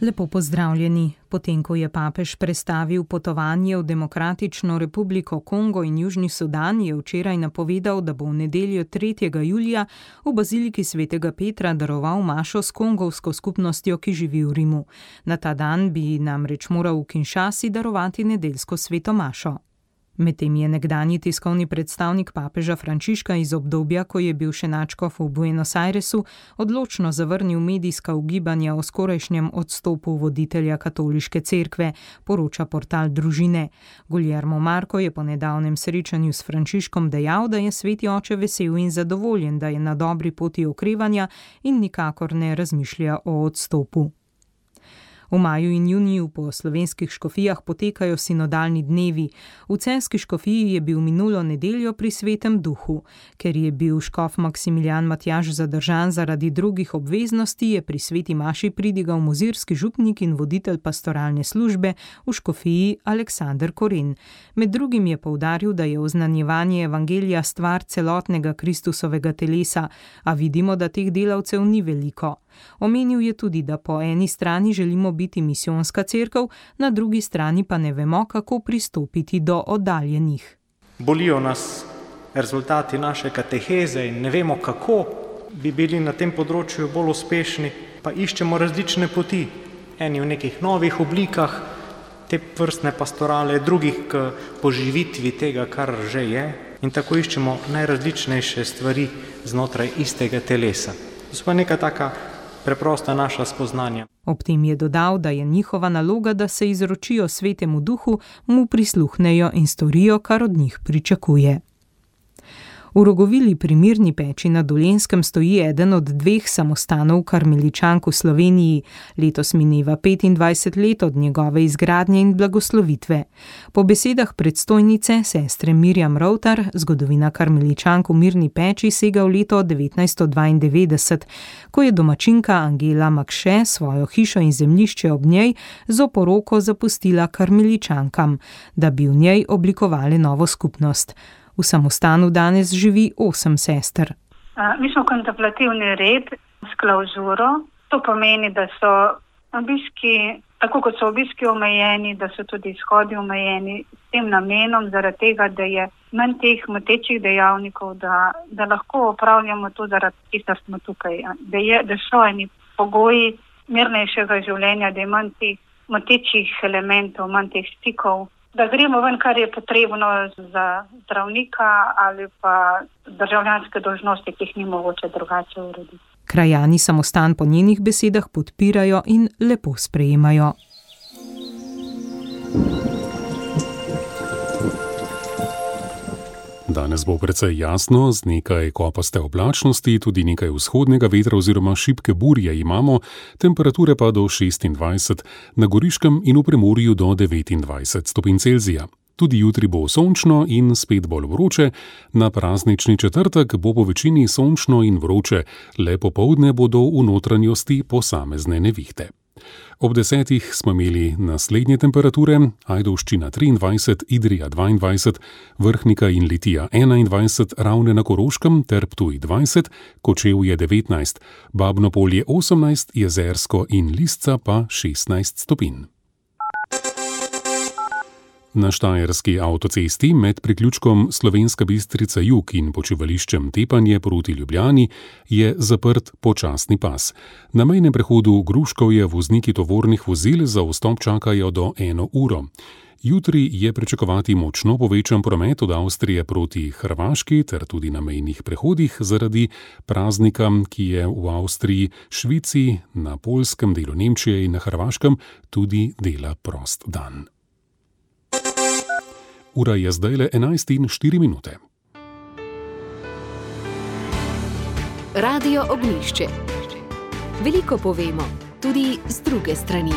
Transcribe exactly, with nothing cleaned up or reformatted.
Lepo pozdravljeni. Potem, ko je papež prestavil potovanje v Demokratično republiko Kongo in Južni Sudan, je včeraj napovedal, da bo v nedeljo tretjega julija v baziliki svetega Petra daroval mašo s kongovsko skupnostjo, ki živi v Rimu. Na ta dan bi namreč moral v Kinshasi darovati nedeljsko sveto mašo. Medtem je nekdanji tiskovni predstavnik papeža Frančiška iz obdobja, ko je bil še nadškof v Buenos Airesu, odločno zavrnil medijska ugibanja o skorajšnjem odstopu voditelja katoliške cerkve, poroča portal Družine. Guillermo Marco je po nedavnem srečanju s Frančiškom dejal, da je sveti oče vesel in zadovoljen, da je na dobri poti okrevanja in nikakor ne razmišlja o odstopu. V maju in juniju po slovenskih škofijah potekajo sinodalni dnevi. V celjski škofiji je bil minulo nedeljo pri Svetem duhu. Ker je bil škof Maksimilijan Matjaž zadržan zaradi drugih obveznosti, je pri sveti maši pridigal mozirski župnik in voditelj pastoralne službe v škofiji Aleksander Koren. Med drugim je poudaril, da je oznanjevanje evangelija stvar celotnega Kristusovega telesa, a vidimo, da teh delavcev ni veliko. Omenil je tudi, da po eni strani želimo biti misijonska cerkev, na drugi strani pa ne vemo, kako pristopiti do oddaljenih. Bolijo nas rezultati naše kateheze in ne vemo, kako bi bili na tem področju bolj uspešni, pa iščemo različne poti. Eni v nekih novih oblikah te vrstne pastorale, drugih k poživitvi tega, kar že je, in tako iščemo najrazličnejše stvari znotraj istega telesa. To pa neka taka preprosta naša spoznanja. Ob tem je dodal, da je njihova naloga, da se izročijo svetemu duhu, mu prisluhnejo in storijo, kar od njih pričakuje. V Rogovili pri Mirni Peči na Dolenjskem stoji eden od dveh samostanov karmeličank v Sloveniji. Letos mineva petindvajset let od njegove izgradnje in blagoslovitve. Po besedah predstojnice, sestre Mirjam Rovtar, zgodovina karmeličank v Mirni Peči sega v leto devetnajststo dvaindevetdeset, ko je domačinka Angela Makše svojo hišo in zemljišče ob njej z oporoko zapustila karmeličankam, da bi v njej oblikovali novo skupnost. V samostanu danes živi osem sester. Mi smo kontemplativni red s klauzuro. To pomeni, da so obiski, tako kot so obiski omejeni, da so tudi izhodi omejeni s tem namenom, zaradi tega, da je manj teh motečih dejavnikov, da, da lahko opravljamo to zaradi tega, smo tukaj. Da, je, da so eni pogoji mirnejšega življenja, da je manj teh motečih elementov, manj teh stikov, da gremo ven, kar je potrebno za zdravnika ali pa državljanske dolžnosti, ki jih ni mogoče drugače urediti. Krajani samostan po njenih besedah podpirajo in lepo sprejemajo. Danes bo precej jasno, z nekaj kopaste oblačnosti, tudi nekaj vzhodnega vetra oziroma šibke burje imamo, temperature pa do šestindvajset, na Goriškem in v Primorju do devetindvajset stopinj Celzija. Tudi jutri bo sončno in spet bolj vroče, na praznični četrtek bo po večini sončno in vroče, le popoldne bodo v notranjosti posamezne nevihte. Ob desetih smo imeli naslednje temperature: Ajdovščina triindvajset, Idrija dvaindvajset, Vrhnika in Litija enaindvajset, Ravne na Koroškem ter Ptuj dvajset, Kočevje devetnajst, Babno Polje osemnajst, Jezersko in Lisca pa šestnajst stopinj. Na štajerski avtocesti med priključkom Slovenska Bistrica jug in počivališčem Tepanje proti Ljubljani je zaprt počasni pas. Na mejnem prehodu Gruškovje vozniki tovornih vozil za vstop čakajo do eno uro. Jutri je pričakovati močno povečan promet od Avstrije proti Hrvaški ter tudi na mejnih prehodih zaradi praznika, ki je v Avstriji, Švici, na poljskem delu Nemčije in na Hrvaškem tudi dela prost dan. Ura je zdajle enajst in štiri minute. Radio Ognjišče. Veliko povemo, tudi z druge strani.